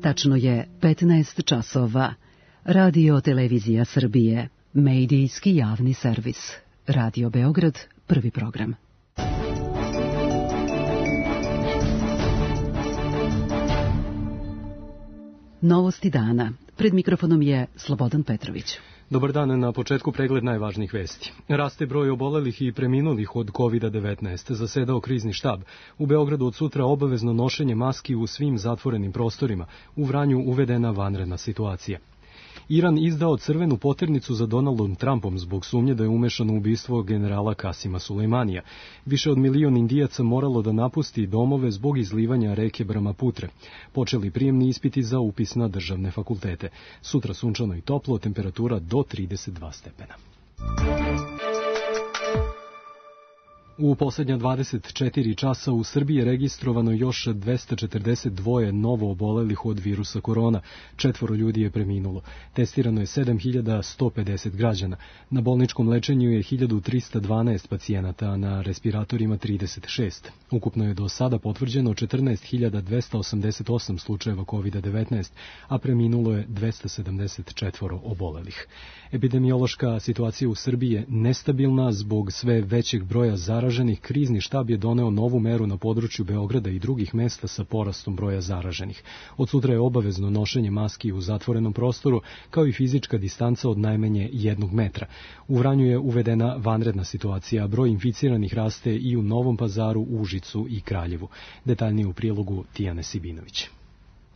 Tačno je 15 časova. Radio Televizija Srbije, medijski javni servis. Radio Beograd, prvi program. Novosti dana. Pred mikrofonom je Slobodan Petrović. Dobar dan, na početku pregled najvažnijih vesti. Raste broj obolelih i preminulih od COVID-19, zasedao krizni štab. U Beogradu od sutra obavezno nošenje maski u svim zatvorenim prostorima. U Vranju uvedena vanredna situacija. Iran izdao crvenu poternicu za Donaldom Trumpom zbog sumnje da je umešan u ubistvo generala Kasima Sulejmanija. Više od 1 milion Indijaca moralo da napusti domove zbog izlivanja reke Brahmaputre. Počeli prijemni ispiti za upis na državne fakultete. Sutra sunčano i toplo, temperatura do 32 stepena. U posljednja 24 časa u Srbiji je registrovano još 242 novo obolelih od virusa korona. 4 ljudi je preminulo. Testirano je 7150 građana. Na bolničkom lečenju je 1312 pacijenata, a na respiratorima 36. Ukupno je do sada potvrđeno 14288 slučajeva COVID-19, a preminulo je 274 obolelih. Epidemiološka situacija u Srbiji je nestabilna zbog sve većeg broja zaraženih. Krizni štab je doneo novu meru na području Beograda i drugih mesta sa porastom broja zaraženih. Od sutra je obavezno nošenje maski u zatvorenom prostoru, kao i fizička distanca od najmanje 1 metra. U Vranju je uvedena vanredna situacija, a broj inficiranih raste i u Novom Pazaru, Užicu i Kraljevu. Detaljnije u prilogu Tijane Sibinović.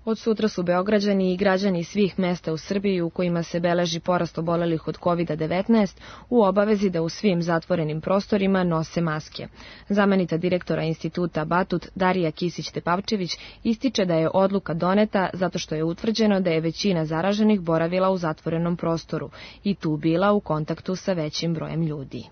Od sutra su Beograđani i građani svih mesta u Srbiji u kojima se beleži porast obolelih od COVID-19 u obavezi da u svim zatvorenim prostorima nose maske. Zamenica direktora instituta Batut Darija Kisić-Tepavčević ističe da je odluka doneta zato što je utvrđeno da je većina zaraženih boravila u zatvorenom prostoru i tu bila u kontaktu sa većim brojem ljudi.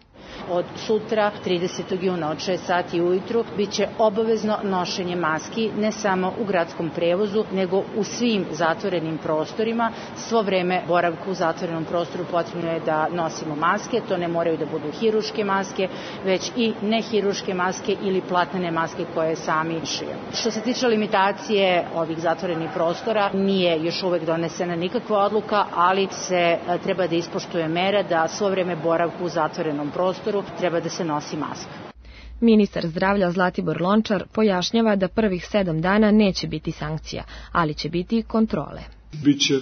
Od sutra, 30. juna od 6 sati ujutru, bit će obavezno nošenje maski ne samo u gradskom prevozu, nego u svim zatvorenim prostorima. Svo vreme boravka u zatvorenom prostoru potrebno je da nosimo maske. To ne moraju da budu hiruške maske, već i nehiruške maske ili platnene maske koje sami šijemo. Što se tiče limitacije ovih zatvorenih prostora, nije još uvek donesena nikakva odluka, ali se treba da ispoštuje mera da svo vreme boravka u zatvorenom prostoru treba da se nosi maska. Ministar zdravlja Zlatibor Lončar pojašnjava da prvih 7 dana neće biti sankcija, ali će biti kontrole. Biće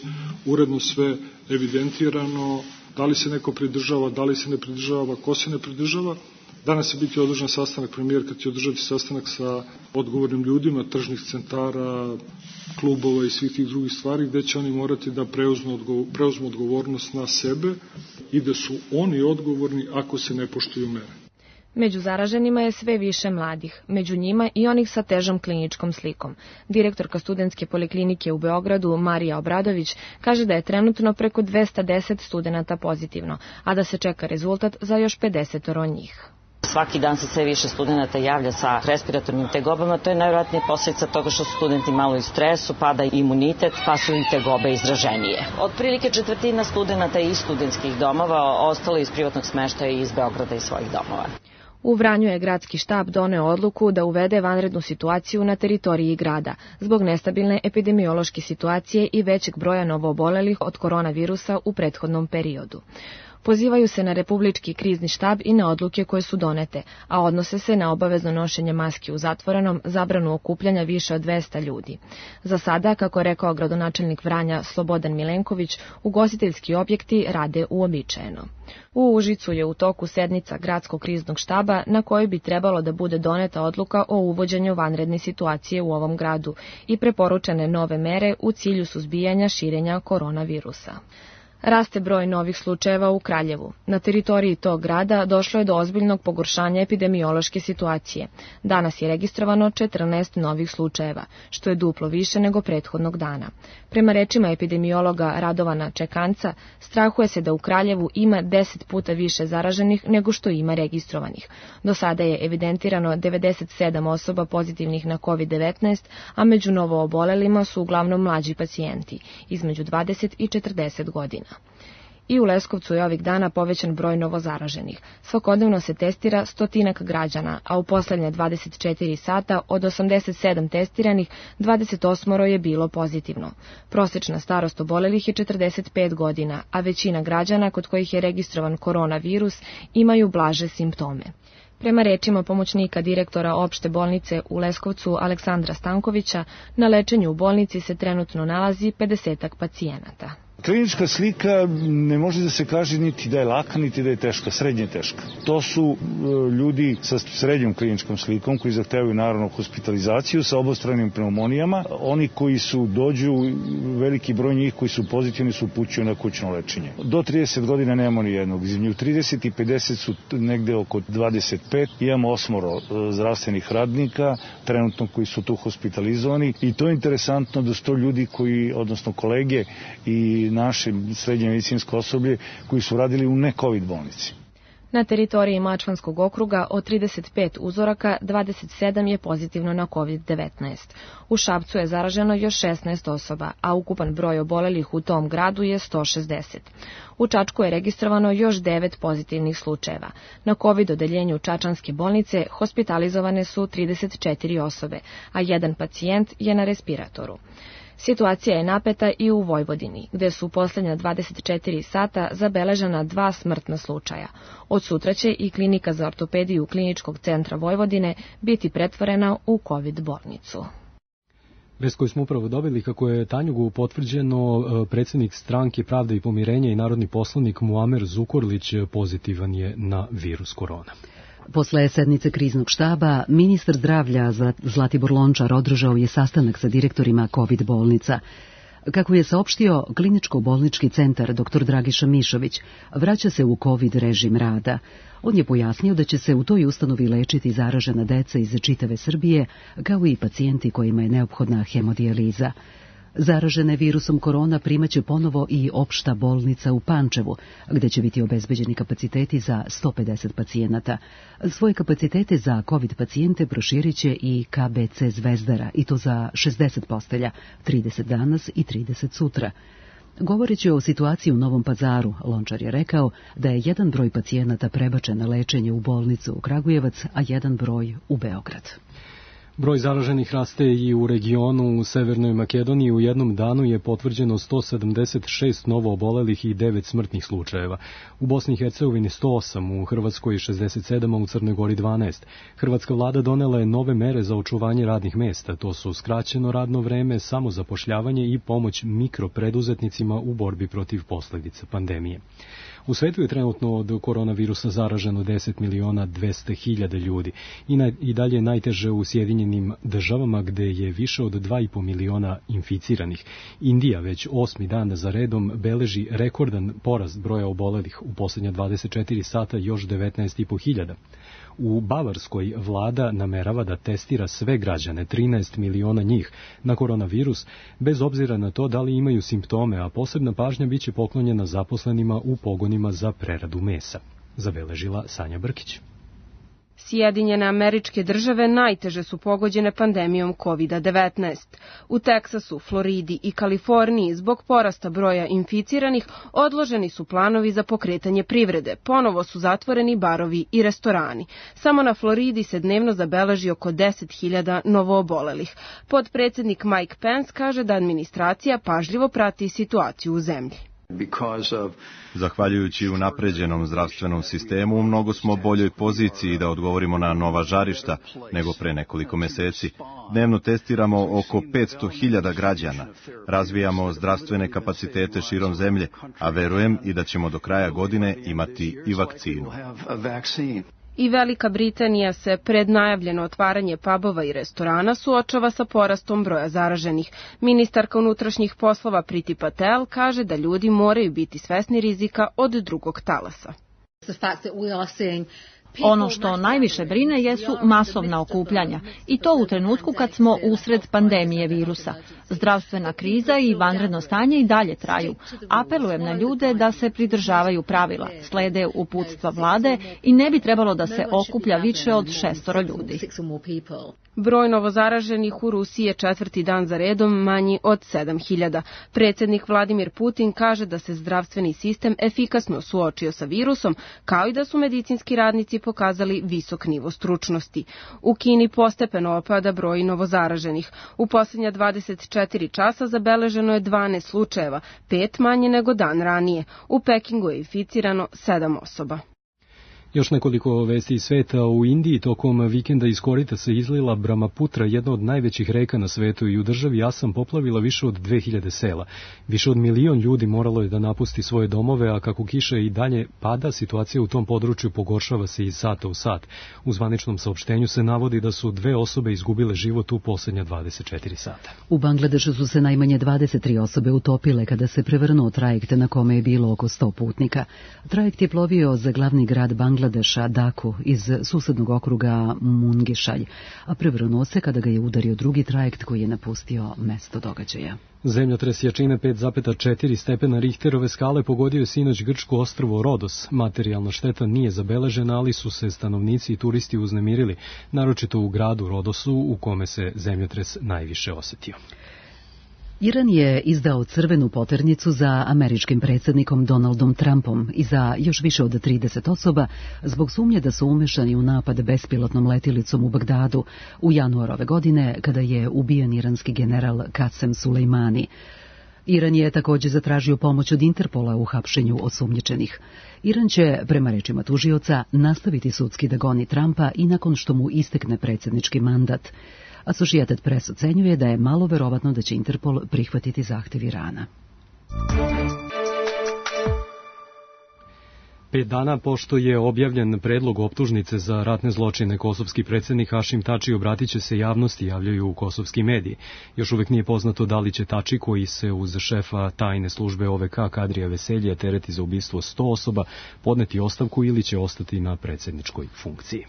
uredno sve evidentirano, da li se neko pridržava, da li se ne pridržava, ko se ne pridržava. Danas će biti održan sastanak, premijerka će održati sastanak sa odgovornim ljudima, tržnih centara, klubova i svih tih drugih stvari, gde će oni morati da preuzmu odgovornost na sebe i da su oni odgovorni ako se ne poštuju mere. Među zaraženima je sve više mladih, među njima i onih sa težom kliničkom slikom. Direktorka studentske poliklinike u Beogradu, Marija Obradović, kaže da je trenutno preko 210 studenata pozitivno, a da se čeka rezultat za još 50 njih. Svaki dan se sve više studenata javlja sa respiratornim tegobama, to je najvjerojatnije posljedica toga što su studenti malo u stresu, pada imunitet, pa su i tegobe izraženije. Otprilike 1/4 studenata iz studentskih domova, ostalo iz privatnog smeštaja i iz Beograda i svojih domova. U Vranju je gradski štab doneo odluku da uvede vanrednu situaciju na teritoriji grada, zbog nestabilne epidemiološke situacije i većeg broja novoobolelih od koronavirusa u prethodnom periodu. Pozivaju se na republički krizni štab i na odluke koje su donete, a odnose se na obavezno nošenje maski u zatvorenom, zabranu okupljanja više od 200 ljudi. Za sada, kako je rekao gradonačelnik Vranja Slobodan Milenković, ugostiteljski objekti rade uobičajeno. U Užicu je u toku sednica gradskog kriznog štaba na kojoj bi trebalo da bude doneta odluka o uvođenju vanredne situacije u ovom gradu i preporučene nove mere u cilju suzbijanja širenja koronavirusa. Raste broj novih slučajeva u Kraljevu. Na teritoriji tog grada došlo je do ozbiljnog pogoršanja epidemiološke situacije. Danas je registrovano 14 novih slučajeva, što je duplo više nego prethodnog dana. Prema rečima epidemiologa Radovana Čekanca, strahuje se da u Kraljevu ima 10 puta više zaraženih nego što ima registrovanih. Do sada je evidentirano 97 osoba pozitivnih na COVID-19, a među novoobolelima su uglavnom mlađi pacijenti, između 20 i 40 godina. I u Leskovcu je ovih dana povećan broj novozaraženih. Svakodnevno se testira 100 građana, a u poslednje 24 sata od 87 testiranih 28 je bilo pozitivno. Prosečna starost obolelih je 45 godina, a većina građana kod kojih je registrovan koronavirus imaju blaže simptome. Prema rečima pomoćnika direktora opšte bolnice u Leskovcu Aleksandra Stankovića, na lečenju u bolnici se trenutno nalazi 50 pacijenata. Klinička slika ne može da se kaže niti da je laka, niti da je teška, srednje teška. To su ljudi sa srednjom kliničkom slikom koji zahtevaju naravno hospitalizaciju sa obostranim pneumonijama. Oni koji dođu, veliki broj njih koji su pozitivni su upućuju na kućno lečenje. Do 30 godina nemamo ni jednog. Između 30 i 50 su negde oko 25. Imamo 8 zdravstvenih radnika trenutno koji su tu hospitalizovani i to je interesantno da su to ljudi koji, odnosno kolege i naše srednje medicinsko osoblje koji su radili u ne-COVID bolnici. Na teritoriji Mačvanskog okruga od 35 uzoraka 27 je pozitivno na COVID-19. U Šapcu je zaraženo još 16 osoba, a ukupan broj obolelih u tom gradu je 160. U Čačku je registrovano još 9 pozitivnih slučajeva. Na COVID odeljenju Čačanske bolnice hospitalizovane su 34 osobe, a jedan pacijent je na respiratoru. Situacija je napeta i u Vojvodini, gde su u poslednja 24 sata zabeležena 2 smrtna slučaja. Od sutra će i klinika za ortopediju Kliničkog centra Vojvodine biti pretvorena u COVID bolnicu. Vest koju smo upravo dobili, kako je Tanjugu potvrđeno, predsjednik stranke Pravda i pomirenja i narodni poslanik Muamer Zukorlić pozitivan je na virus korona. Posle sednice kriznog štaba, ministar zdravlja Zlatibor Lončar održao je sastanak sa direktorima COVID bolnica. Kako je saopštio kliničko-bolnički centar dr. Dragiša Mišović, vraća se u COVID režim rada. On je pojasnio da će se u toj ustanovi lečiti zaražena deca iz čitave Srbije, kao i pacijenti kojima je neophodna hemodijaliza. Zaražene virusom korona primaće ponovo i opšta bolnica u Pančevu, gde će biti obezbeđeni kapaciteti za 150 pacijenata. Svoje kapacitete za COVID pacijente proširit će i KBC Zvezdara, i to za 60 postelja, 30 danas i 30 sutra. Govoreći o situaciji u Novom Pazaru, Lončar je rekao da je jedan broj pacijenata prebačen na lečenje u bolnicu u Kragujevac, a jedan broj u Beograd. Broj zaraženih raste i u regionu. U Severnoj Makedoniji u jednom danu je potvrđeno 176 novo obolelih i 9 smrtnih slučajeva. U Bosni i Hercegovini 108, u Hrvatskoj 67, a u Crnoj Gori 12. Hrvatska vlada donela je nove mere za očuvanje radnih mesta. To su skraćeno radno vreme, samozapošljavanje i pomoć mikropreduzetnicima u borbi protiv posledica pandemije. U svetu je trenutno od koronavirusa zaraženo 10.200.000 ljudi i dalje je najteže u Sjedinjenim Državama, gde je više od 2,5 miliona inficiranih. Indija već 8. dan za redom beleži rekordan porast broja obolelih, u posljednja 24 sata još 19.500. U Bavarskoj vlada namerava da testira sve građane, 13 miliona njih, na koronavirus, bez obzira na to da li imaju simptome, a posebna pažnja biće poklonjena zaposlenima u pogonima za preradu mesa, zabeležila Sanja Brkić. Sjedinjene Američke Države najteže su pogođene pandemijom COVID-19. U Teksasu, Floridi i Kaliforniji zbog porasta broja inficiranih odloženi su planovi za pokretanje privrede. Ponovo su zatvoreni barovi i restorani. Samo na Floridi se dnevno zabeleži oko 10.000 novoobolelih. Potpredsednik Mike Pence kaže da administracija pažljivo prati situaciju u zemlji. Zahvaljujući unapređenom zdravstvenom sistemu, mnogo smo u boljoj poziciji da odgovorimo na nova žarišta nego pre nekoliko meseci. Dnevno testiramo oko 500.000 građana. Razvijamo zdravstvene kapacitete širom zemlje, a verujem i da ćemo do kraja godine imati i vakcinu. I Velika Britanija se pred najavljeno otvaranje pubova i restorana suočava sa porastom broja zaraženih. Ministarka unutrašnjih poslova Priti Patel kaže da ljudi moraju biti svesni rizika od drugog talasa. Ono što najviše brine jesu masovna okupljanja i to u trenutku kad smo usred pandemije virusa. Zdravstvena kriza i vanredno stanje i dalje traju. Apelujem na ljude da se pridržavaju pravila, slede uputstva vlade i ne bi trebalo da se okuplja više od 6 ljudi. Broj novozaraženih u Rusiji je 4. dan za redom manji od 7.000. Predsjednik Vladimir Putin kaže da se zdravstveni sistem efikasno suočio sa virusom, kao i da su medicinski radnici pokazali visok nivo stručnosti. U Kini postepeno opada broj novozaraženih. U posljednja 24 časa zabeleženo je 12 slučajeva, 5 manje nego dan ranije. U Pekingu je inficirano 7 osoba. Još nekoliko vesti iz sveta. U Indiji tokom vikenda iz korita se izlila Brahmaputra, jedna od najvećih reka na svetu, i u državi Asam poplavila više od 2000 sela. Više od 1 milion ljudi moralo je da napusti svoje domove, a kako kiša i dalje pada, situacija u tom području pogoršava se iz sata u sat. U zvaničnom saopštenju se navodi da su 2 osobe izgubile život u posljednja 24 sata. U Bangladešu su se najmanje 23 osobe utopile kada se prevrnuo trajekt na kome je bilo oko 100 putnika. Trajekt je plovio za glavni grad Bangladeša, Daku, iz susednog okruga Mungišalj, a prevrnuo se kada ga je udario drugi trajekt koji je napustio mesto događaja. Zemljotres jačine 5,4 stepena Richterove skale pogodio je sinoć grčko ostrvo Rodos. Materijalna šteta nije zabeležena, ali su se stanovnici i turisti uznemirili, naročito u gradu Rodosu, u kome se zemljotres najviše osetio. Iran je izdao crvenu poternicu za američkim predsjednikom Donaldom Trumpom i za još više od 30 osoba zbog sumnje da su umešani u napad bespilotnom letjelicom u Bagdadu u januaru ove godine, kada je ubijen iranski general Qasem Sulejmani. Iran je također zatražio pomoć od Interpola u hapšenju osumnjičenih. Iran će, prema rečima tužioca, nastaviti sudski da goni Trumpa i nakon što mu istekne predsjednički mandat. Associated Press ocenjuje da je malo verovatno da će Interpol prihvatiti zahtev Irana. 5 dana pošto je objavljen predlog optužnice za ratne zločine, kosovski predsjednik Hašim Tači obratit će se javnosti, javljaju u kosovski mediji. Još uvijek nije poznato da li će Tači, koji se uz šefa tajne službe OVK Kadrija Veselje tereti za ubistvo 100 osoba, podneti ostavku ili će ostati na predsjedničkoj funkciji.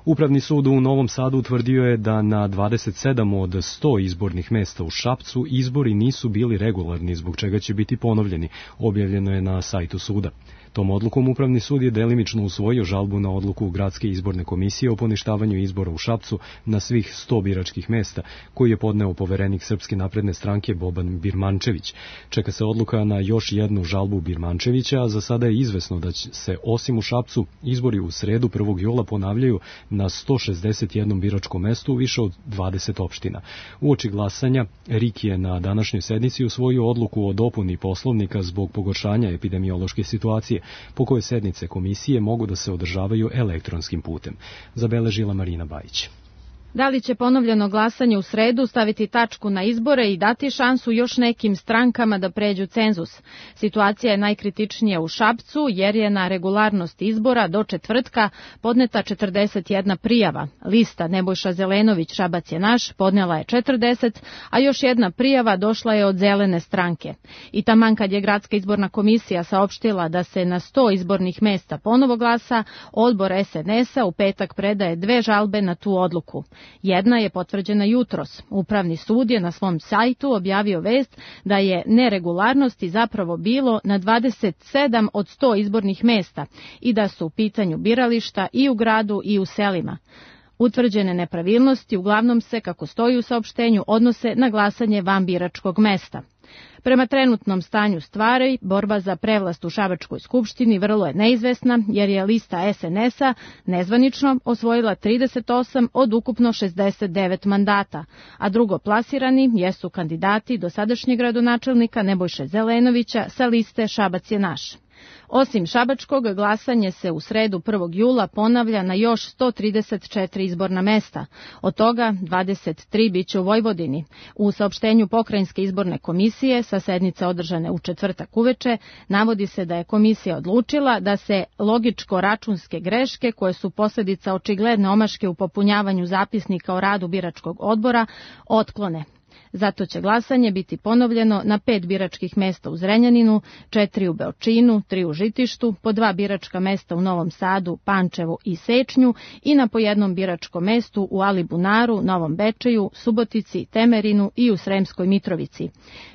Upravni sud u Novom Sadu utvrdio je da na 27 od 100 izbornih mesta u Šapcu izbori nisu bili regularni, zbog čega će biti ponovljeni, objavljeno je na sajtu suda. Tom odlukom Upravni sud je delimično usvojio žalbu na odluku Gradske izborne komisije o poništavanju izbora u Šapcu na svih 100 biračkih mesta, koji je podneo poverenik Srpske napredne stranke Boban Birmančević. Čeka se odluka na još jednu žalbu Birmančevića, a za sada je izvesno da će se osim u Šapcu izbori u sredu 1. jula ponavljaju na 161 biračkom mestu u više od 20 opština. Uoči glasanja, RIK je na današnjoj sednici usvojio odluku o dopuni Poslovnika zbog pogoršanja epidemiološke situacije, po kojoj sednice komisije mogu da se održavaju elektronskim putem. Zabeležila Marina Bajić. Da li će ponovljeno glasanje u sredu staviti tačku na izbore i dati šansu još nekim strankama da pređu cenzus? Situacija je najkritičnija u Šapcu jer je na regularnost izbora do četvrtka podneta 41 prijava. Lista Nebojša Zelenović Šabac je naš podnela je 40, a još jedna prijava došla je od Zelene stranke. I taman kad je Gradska izborna komisija saopštila da se na 100 izbornih mesta ponovo glasa, odbor SNS-a u petak predaje 2 žalbe na tu odluku. Jedna je potvrđena jutros. Upravni sud je na svom sajtu objavio vest da je neregularnosti zapravo bilo na 27 od 100 izbornih mesta i da su u pitanju birališta i u gradu i u selima. Utvrđene nepravilnosti uglavnom se, kako stoji u saopštenju, odnose na glasanje van biračkog mesta. Prema trenutnom stanju stvari, borba za prevlast u Šabačkoj skupštini vrlo je neizvesna, jer je lista SNS-a nezvanično osvojila 38 od ukupno 69 mandata, a drugoplasirani jesu kandidati dosadašnjeg gradonačelnika Nebojše Zelenovića sa liste Šabac je naš. Osim Šabačkog, glasanje se u sredu 1. jula ponavlja na još 134 izborna mesta. Od toga 23 biće u Vojvodini. U saopštenju Pokrajinske izborne komisije sa sednice održane u četvrtak uveče navodi se da je komisija odlučila da se logičko-računske greške, koje su posljedica očigledne omaške u popunjavanju zapisnika o radu biračkog odbora, otklone. Zato će glasanje biti ponovljeno na 5 biračkih mesta u Zrenjaninu, 4 u Beočinu, 3 u Žitištu, po 2 biračka mesta u Novom Sadu, Pančevu i Sečnju i na po jednom biračkom mestu u Alibunaru, Novom Bečeju, Subotici, Temerinu i u Sremskoj Mitrovici.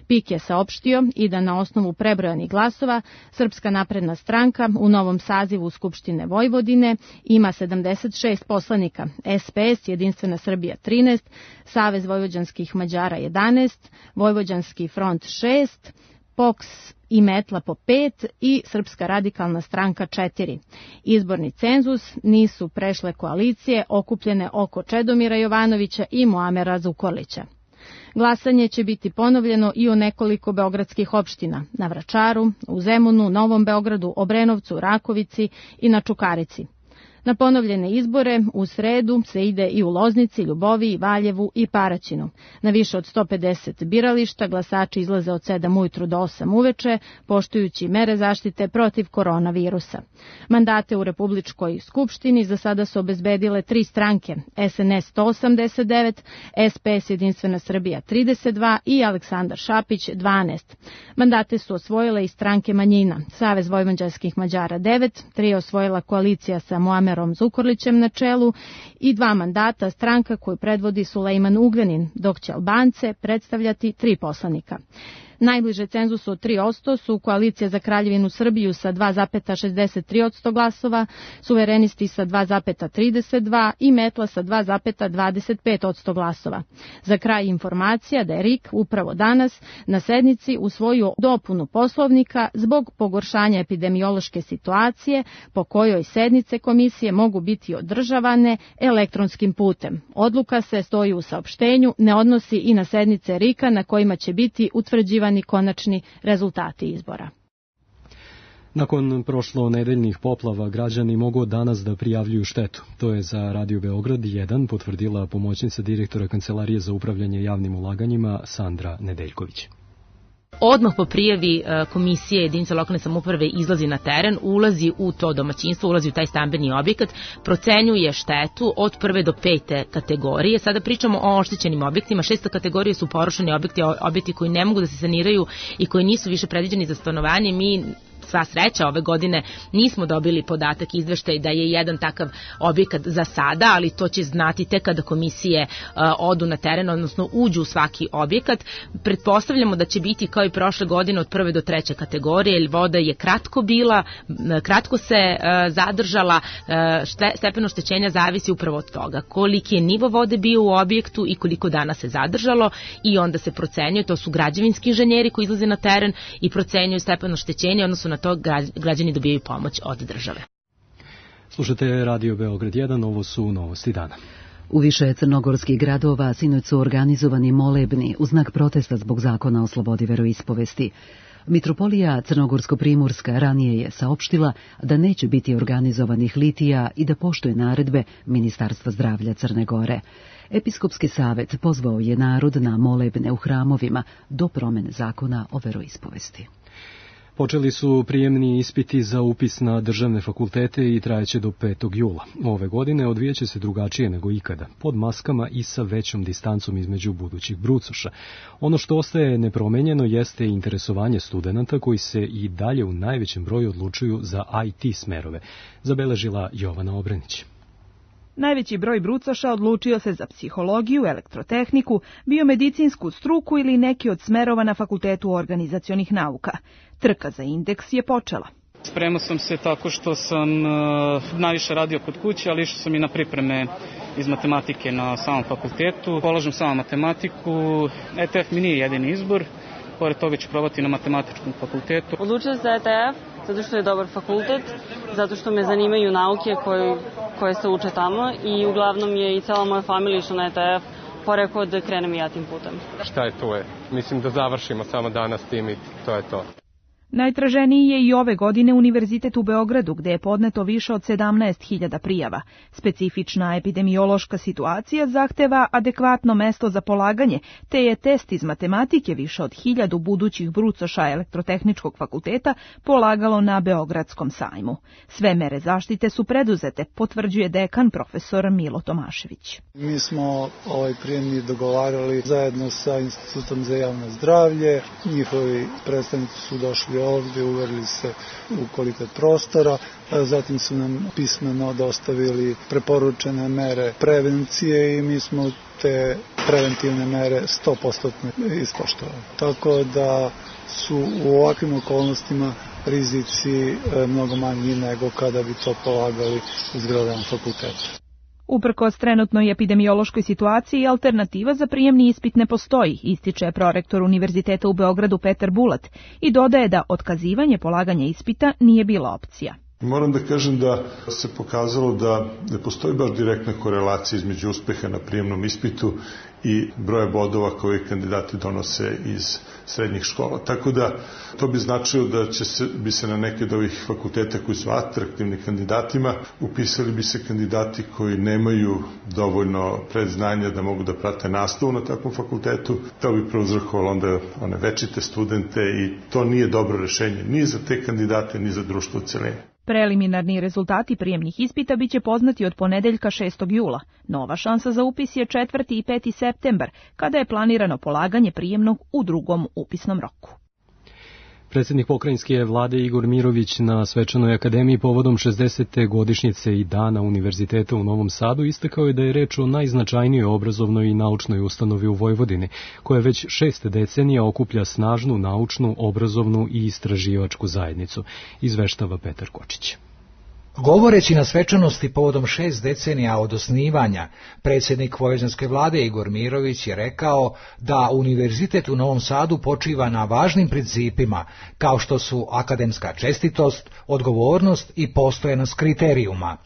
PIK je saopštio i da na osnovu prebrojanih glasova Srpska napredna stranka u novom sazivu Skupštine Vojvodine ima 76 poslanika, SPS, Jedinstvena Srbija 13, Savez vojvođanskih Mađara 11, Vojvođanski front 6, POKS i Metla po 5 i Srpska radikalna stranka 4. Izborni cenzus nisu prešle koalicije okupljene oko Čedomira Jovanovića i Muamera Zukorlića. Glasanje će biti ponovljeno i u nekoliko beogradskih opština, na Vračaru, u Zemunu, Novom Beogradu, Obrenovcu, Rakovici i na Čukarici. Na ponovljene izbore u sredu se ide i u Loznici, Ljuboviji, Valjevu i Paraćinu. Na više od 150 birališta glasači izlaze od 7 ujutru do 8 uveče, poštujući mere zaštite protiv koronavirusa. Mandate u Republičkoj skupštini za sada su obezbedile 3 stranke, SNS 189, SPS Jedinstvena Srbija 32 i Aleksandar Šapić 12. Mandate su osvojile i stranke manjina, Savez vojvođanskih Mađara 9, 3 je osvojila koalicija sa Muamerom Zukorlićem na čelu i 2 mandata stranka koju predvodi Sulejman Ugljanin, dok će Albance predstavljati 3 poslanika. Najbliže cenzusu od 3% su Koalicija za Kraljevinu Srbiju sa 2,63% glasova, Suverenisti sa 2,32% i Metla sa 2,25% glasova. Za kraj informacija da je RIK upravo danas na sednici usvojio dopunu Poslovnika zbog pogoršanja epidemiološke situacije po kojoj sednice komisije mogu biti održavane elektronskim putem. Odluka se, stoji u saopštenju, ne odnosi i na sednice RIK-a na kojima će biti utvrđivani konačni rezultati izbora. Nakon prošlonedeljnih poplava građani mogu danas da prijavljuju štetu. To je za Radio Beograd 1 potvrdila pomoćnica direktora Kancelarije za upravljanje javnim ulaganjima Sandra Nedeljković. Odmah po prijavi komisije jedinice lokalne samouprave izlazi na teren, ulazi u to domaćinstvo, ulazi u taj stambeni objekat, procenjuje štetu od 1. do 5. kategorije. Sada pričamo o oštećenim objektima. 6. kategorije su porušeni objekti koji ne mogu da se saniraju i koji nisu više predviđeni za stanovanje. Mi sva sreća ove godine nismo dobili podatak izveštaj da je jedan takav objekat za sada, ali to će znati tek kada komisije odu na teren, odnosno uđu u svaki objekat. Pretpostavljamo da će biti kao i prošle godine od 1. do 3. kategorije, jer voda je kratko se zadržala, stepen oštećenja zavisi upravo od toga koliki je nivo vode bio u objektu i koliko dana se zadržalo i onda se procenjuje, to su građevinski inženjeri koji izlaze na teren i procenjuju stepen oštećenja, odnosno na to građani dobijaju pomoć od države. Slušate Radio Beograd 1, ovo su novosti dana. U više crnogorskih gradova sinoć su organizovani molebni u znak protesta zbog zakona o slobodi veroispovesti. Mitropolija Crnogorsko-Primorska ranije je saopštila da neće biti organizovanih litija i da poštuje naredbe Ministarstva zdravlja Crne Gore. Episkopski savet pozvao je narod na molebne u hramovima do promene zakona o veroispovesti. Počeli su prijemni ispiti za upis na državne fakultete i trajeće do 5. jula. Ove godine odvijeće se drugačije nego ikada, pod maskama i sa većom distancom između budućih brucoša. Ono što ostaje nepromenjeno jeste interesovanje studenata koji se i dalje u najvećem broju odlučuju za IT smerove, zabeležila Jovana Obrenić. Najveći broj brucoša odlučio se za psihologiju, elektrotehniku, biomedicinsku struku ili neki od smerova na Fakultetu organizacionih nauka. Trka za indeks je počela. Spremao sam se tako što sam najviše radio kod kuće, ali išao sam i na pripreme iz matematike na samom fakultetu. Polažem samo matematiku, ETF mi nije jedini izbor. Pored toga ću probati na matematičkom fakultetu. Odlučila se za ETF zato što je dobar fakultet, zato što me zanimaju nauke koje se uče tamo i uglavnom je i cela moja familija išla na ETF, pa rekao da krenem i ja tim putem. Šta je to je? Mislim da završimo samo danas tim i to je to. Najtraženiji je i ove godine Univerzitet u Beogradu, gde je podneto više od 17.000 prijava. Specifična epidemiološka situacija zahteva adekvatno mesto za polaganje, te je test iz matematike više od 1000 budućih brucoša Elektrotehničkog fakulteta polagalo na Beogradskom sajmu. Sve mere zaštite su preduzete, potvrđuje dekan profesor Milo Tomašević. Mi smo ovaj prijemni dogovarali zajedno sa Institutom za javno zdravlje. Njihovi predstavnici su došli ovdje, uverili se u kvalitet prostora, zatim su nam pismeno dostavili preporučene mere prevencije i mi smo te preventivne mere 100% ispoštovali. Tako da su u ovakvim okolnostima rizici mnogo manji nego kada bi to polagali u zgradama fakulteta. Uprkos trenutnoj epidemiološkoj situaciji, alternativa za prijemni ispit ne postoji, ističe prorektor Univerziteta u Beogradu Petar Bulat i dodaje da otkazivanje polaganja ispita nije bila opcija. Moram da kažem da se pokazalo da ne postoji baš direktna korelacija između uspeha na prijemnom ispitu i broja bodova koje kandidati donose iz srednjih škola. Tako da to bi značilo da bi se na neke od ovih fakulteta koji su atraktivni kandidatima upisali bi se kandidati koji nemaju dovoljno predznanja da mogu da prate nastavu na takvom fakultetu. To bi prouzrokovalo onda one večite studente i to nije dobro rešenje ni za te kandidate ni za društvo u celini. Preliminarni rezultati prijemnih ispita biće poznati od ponedeljka 6. jula. Nova šansa za upis je 4. i 5. septembar, kada je planirano polaganje prijemnog u drugom upisnom roku. Predsjednik pokrajinske vlade Igor Mirović na svečanoj akademiji povodom 60. godišnjice i dana Univerziteta u Novom Sadu istakao je da je reč o najznačajnijoj obrazovnoj i naučnoj ustanovi u Vojvodini, koja već 6 decenija okuplja snažnu naučnu, obrazovnu i istraživačku zajednicu, izveštava Petar Kočić. Govoreći na svečanosti povodom 6 decenija od osnivanja, predsjednik vojvođanske vlade Igor Mirović je rekao da Univerzitet u Novom Sadu počiva na važnim principima, kao što su akademska čestitost, odgovornost i postojanost kriterijuma.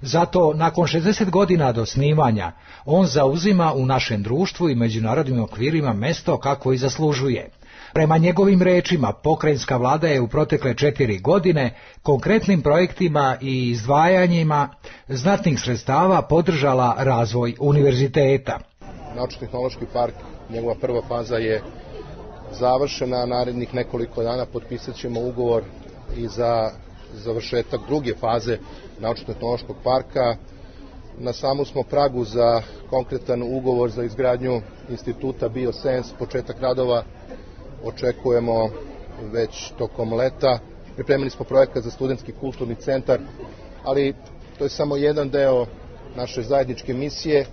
Zato, nakon 60 godina od osnivanja, on zauzima u našem društvu i međunarodnim okvirima mesto kako i zaslužuje. Prema njegovim rečima, pokrajinska vlada je u protekle 4 godine konkretnim projektima i izdvajanjima znatnih sredstava podržala razvoj univerziteta. Naučno-tehnološki park, njegova prva faza je završena, narednih nekoliko dana potpisat ćemo ugovor i za završetak druge faze Naučno-tehnološkog parka. Na samom smo pragu za konkretan ugovor za izgradnju instituta Biosens, početak radova očekujemo već tokom leta. Pripremili smo projekat za studentski kulturni centar, ali to je samo jedan deo naše zajedničke misije.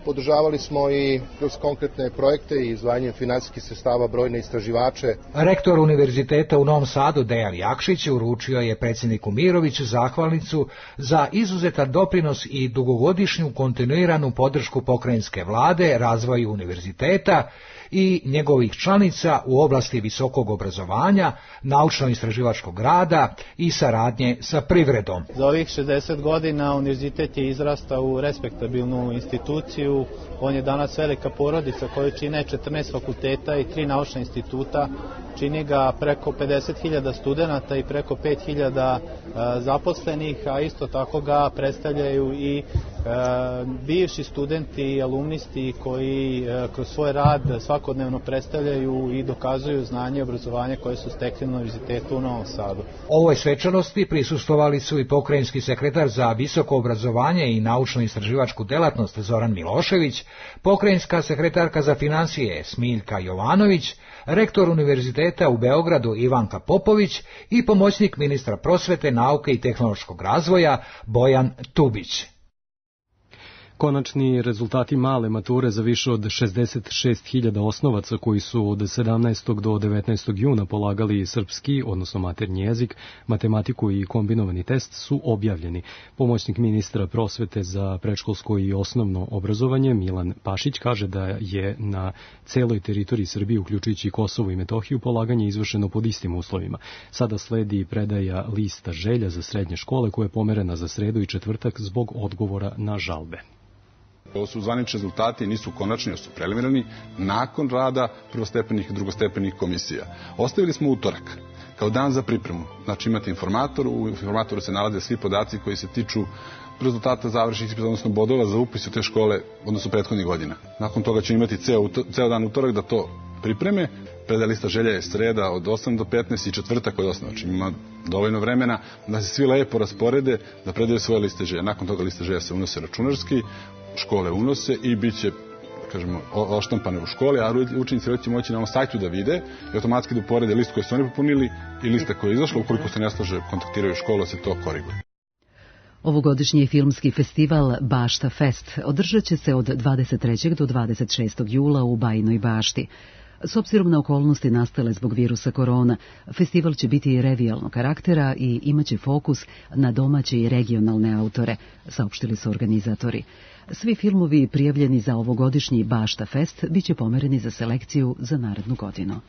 Podržavali smo i kroz konkretne projekte i izdvajanjem finansijskih sredstava brojne istraživače. Rektor Univerziteta u Novom Sadu Dejan Jakšić uručio je predsjedniku Miroviću zahvalnicu za izuzetan doprinos i dugogodišnju kontinuiranu podršku pokrajinske vlade razvoju univerziteta i njegovih članica u oblasti visokog obrazovanja, naučno-istraživačkog rada i saradnje sa privredom. Za ovih 60 godina univerzitet je izrastao u respektabilnu instituciju. On je danas velika porodica koju čine 14 fakulteta i 3 naučna instituta. Čini ga preko 50.000 studenata i preko 5.000 zaposlenih, a isto tako ga predstavljaju i bivši studenti i alumnisti koji kroz svoj rad svakodnevno predstavljaju i dokazuju znanje i obrazovanje koje su stekli na Univerzitetu u Novom Sadu. Ovoj svečanosti prisustvovali su i pokrajinski sekretar za visoko obrazovanje i naučno-istraživačku delatnost Zoran Milošević, pokrajinska sekretarka za finansije Smiljka Jovanović, rektor Univerziteta u Beogradu Ivanka Popović i pomoćnik ministra prosvete, nauke i tehnološkog razvoja Bojan Tubić. Konačni rezultati male mature za više od 66.000 osnovaca koji su od 17. do 19. juna polagali srpski, odnosno maternji jezik, matematiku i kombinovani test su objavljeni. Pomoćnik ministra prosvete za predškolsko i osnovno obrazovanje Milan Pašić kaže da je na celoj teritoriji Srbije, uključujući Kosovo i Metohiju, polaganje izvršeno pod istim uslovima. Sada sledi predaja lista želja za srednje škole koja je pomerena za sredu i četvrtak zbog odgovora na žalbe. Ovo su zvanični rezultati, nisu konačni, su preliminarni, nakon rada prvostepenih i drugostepenih komisija. Ostavili smo utorak kao dan za pripremu. Znači imate informator, u informatoru se nalaze svi podaci koji se tiču rezultata završnih ispita, odnosno bodova za upis u te škole, odnosno prethodnih godina. Nakon toga će imati ceo dan utorak da to pripreme. Predaja lista želja je sreda od 8 do 15 i četvrtak od 8. Znači ima dovoljno vremena da se svi lepo rasporede, da predaju svoje liste želja. Nakon toga liste želja se unose računarski, škole unose i bit će, kažemo, oštampane u školi, a učenici će moći na ovom sajtu da vide i automatski da uporede list koji su oni popunili i lista koja je izašla. Ukoliko se ne slaže, kontaktiraju školu, se to koriguje. Ovogodišnji filmski festival Bašta Fest održat će se od 23. do 26. jula u Bajinoj Bašti. S obzirom na okolnosti nastale zbog virusa korona, festival će biti revijalnog karaktera i imaće fokus na domaće i regionalne autore, saopštili su organizatori. Svi filmovi prijavljeni za ovogodišnji Bašta Fest biće pomereni za selekciju za narednu godinu.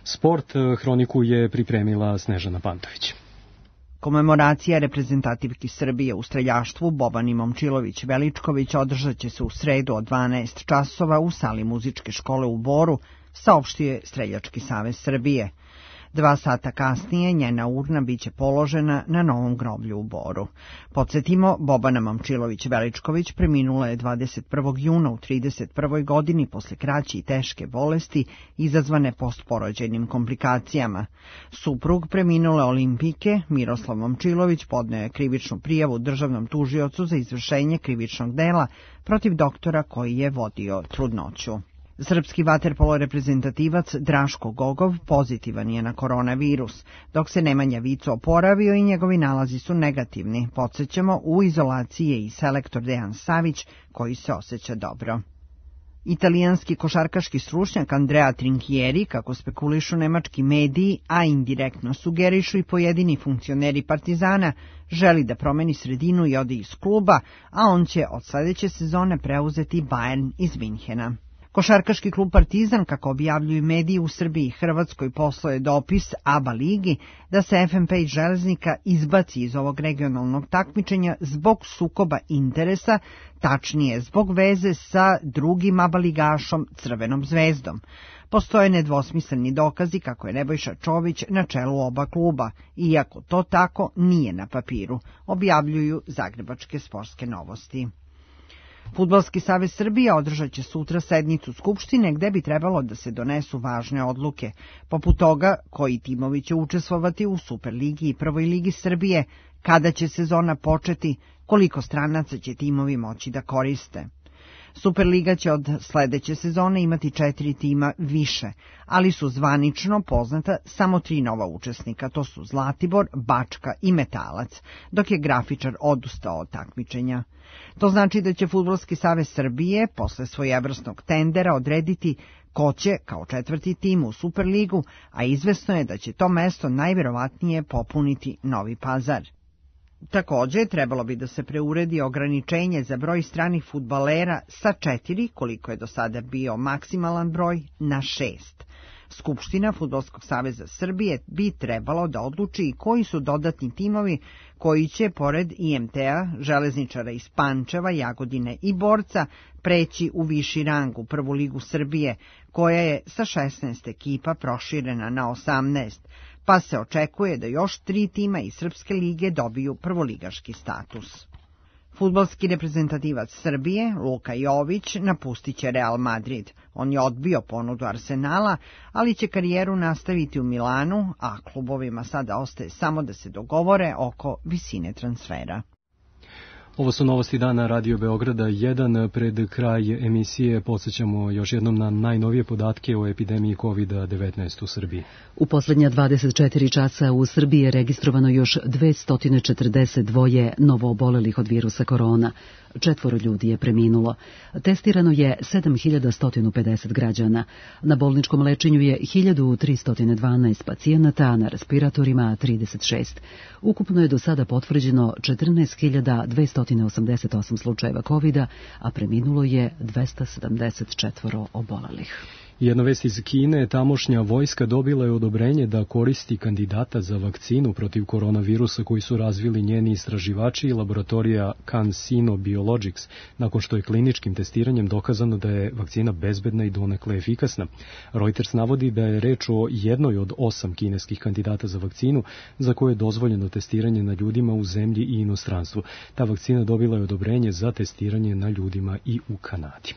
Sport hroniku je pripremila Snežana Pantović. Komemoracija reprezentativki Srbije u streljaštvu Boban i Momčilović Veličković održat će se u sredu od 12 časova u sali muzičke škole u Boru, saopštio je Streljački savez Srbije. 2 sata kasnije njena urna biće položena na novom groblju u Boru. Podsjetimo, Bobana Momčilović Veličković preminula je 21. juna u 31. godini posle kraće i teške bolesti izazvane postporođajnim komplikacijama. Suprug preminule olimpijke Miroslav Momčilović podneo je krivičnu prijavu državnom tužiocu za izvršenje krivičnog dela protiv doktora koji je vodio trudnoću. Srpski vaterpolo reprezentativac Draško Gogov pozitivan je na koronavirus, dok se Nemanja Vico oporavio i njegovi nalazi su negativni. Podsjećamo, u izolaciji je i selektor Dejan Savić, koji se osjeća dobro. Italijanski košarkaški stručnjak Andrea Trinchieri, kako spekulišu nemački mediji, a indirektno sugerišu i pojedini funkcioneri Partizana, želi da promeni sredinu i ode iz kluba, a on će od sledeće sezone preuzeti Bayern iz Minhena. Košarkaški klub Partizan, kako objavljuju mediji u Srbiji i Hrvatskoj, poslao je dopis ABA ligi da se FNP iz Železnika izbaci iz ovog regionalnog takmičenja zbog sukoba interesa, tačnije zbog veze sa drugim ABA ligašom Crvenom zvezdom. Postoje nedvosmisleni dokazi kako je Nebojša Čović na čelu oba kluba, iako to tako nije na papiru, objavljuju Zagrebačke sportske novosti. Fudbalski savez Srbije održat će sutra sednicu Skupštine gde bi trebalo da se donesu važne odluke, poput toga koji timovi će učestvovati u Superligi i Prvoj ligi Srbije, kada će sezona početi, koliko stranaca će timovi moći da koriste. Superliga će od sledeće sezone imati 4 tima više, ali su zvanično poznata samo 3 nova učesnika, to su Zlatibor, Bačka i Metalac, dok je grafičar odustao od takmičenja. To znači da će Fudbalski savez Srbije posle svojevrsnog tendera odrediti ko će kao 4. tim u Superligu, a izvesno je da će to mesto najverovatnije popuniti Novi Pazar. Takođe, trebalo bi da se preuredi ograničenje za broj stranih fudbalera sa 4, koliko je do sada bio maksimalan broj, na 6. Skupština Fudbalskog saveza Srbije bi trebalo da odluči i koji su dodatni timovi koji će, pored IMT-a, Železničara iz Pančeva, Jagodine i Borca, preći u viši rang u Prvu ligu Srbije, koja je sa 16 ekipa proširena na 18, pa se očekuje da još 3 tima iz Srpske lige dobiju prvoligaški status. Fudbalski reprezentativac Srbije, Luka Jović, napustit će Real Madrid. On je odbio ponudu Arsenala, ali će karijeru nastaviti u Milanu, a klubovima sada ostaje samo da se dogovore oko visine transfera. Ovo su novosti dana Radio Beograda 1. Pred kraj emisije podsjećamo još jednom na najnovije podatke o epidemiji COVID-19 u Srbiji. U poslednja 24 časa u Srbiji je registrovano još 242 novoobolelih od virusa korona. 4 ljudi je preminulo. Testirano je 7150 građana. Na bolničkom lečenju je 1312 pacijenata, a na respiratorima 36. Ukupno je do sada potvrđeno 14.288 slučajeva COVID-a, a preminulo je 274 obolelih. Jedna vest iz Kine, tamošnja vojska dobila je odobrenje da koristi kandidata za vakcinu protiv koronavirusa koji su razvili njeni istraživači i laboratorija CanSino Biologics, nakon što je kliničkim testiranjem dokazano da je vakcina bezbedna i donekle efikasna. Reuters navodi da je reč o jednoj od 8 kineskih kandidata za vakcinu za koje je dozvoljeno testiranje na ljudima u zemlji i inostranstvu. Ta vakcina dobila je odobrenje za testiranje na ljudima i u Kanadi.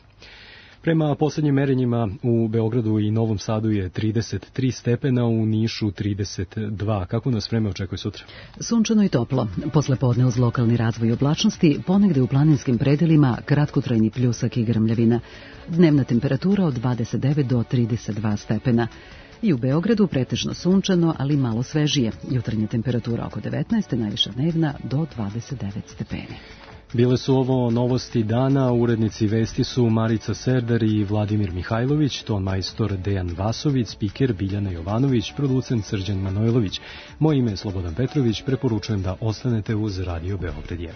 Prema poslednjim merenjima u Beogradu i Novom Sadu je 33 stepena, u Nišu 32. Kako nas vreme očekuje sutra? Sunčano i toplo. Posle podne uz lokalni razvoj oblačnosti, ponegde u planinskim predelima kratkotrajni pljusak i grmljavina. Dnevna temperatura od 29 do 32 stepena. I u Beogradu pretežno sunčano, ali malo svežije. Jutarnja temperatura oko 19, najviša dnevna do 29 stepeni. Bile su ovo novosti dana, urednici vesti su Marica Serdar i Vladimir Mihajlović, ton majstor Dejan Vasović, spiker Biljana Jovanović, producent Srđan Manojlović. Moje ime je Slobodan Petrović, preporučujem da ostanete uz Radio Beograd 1.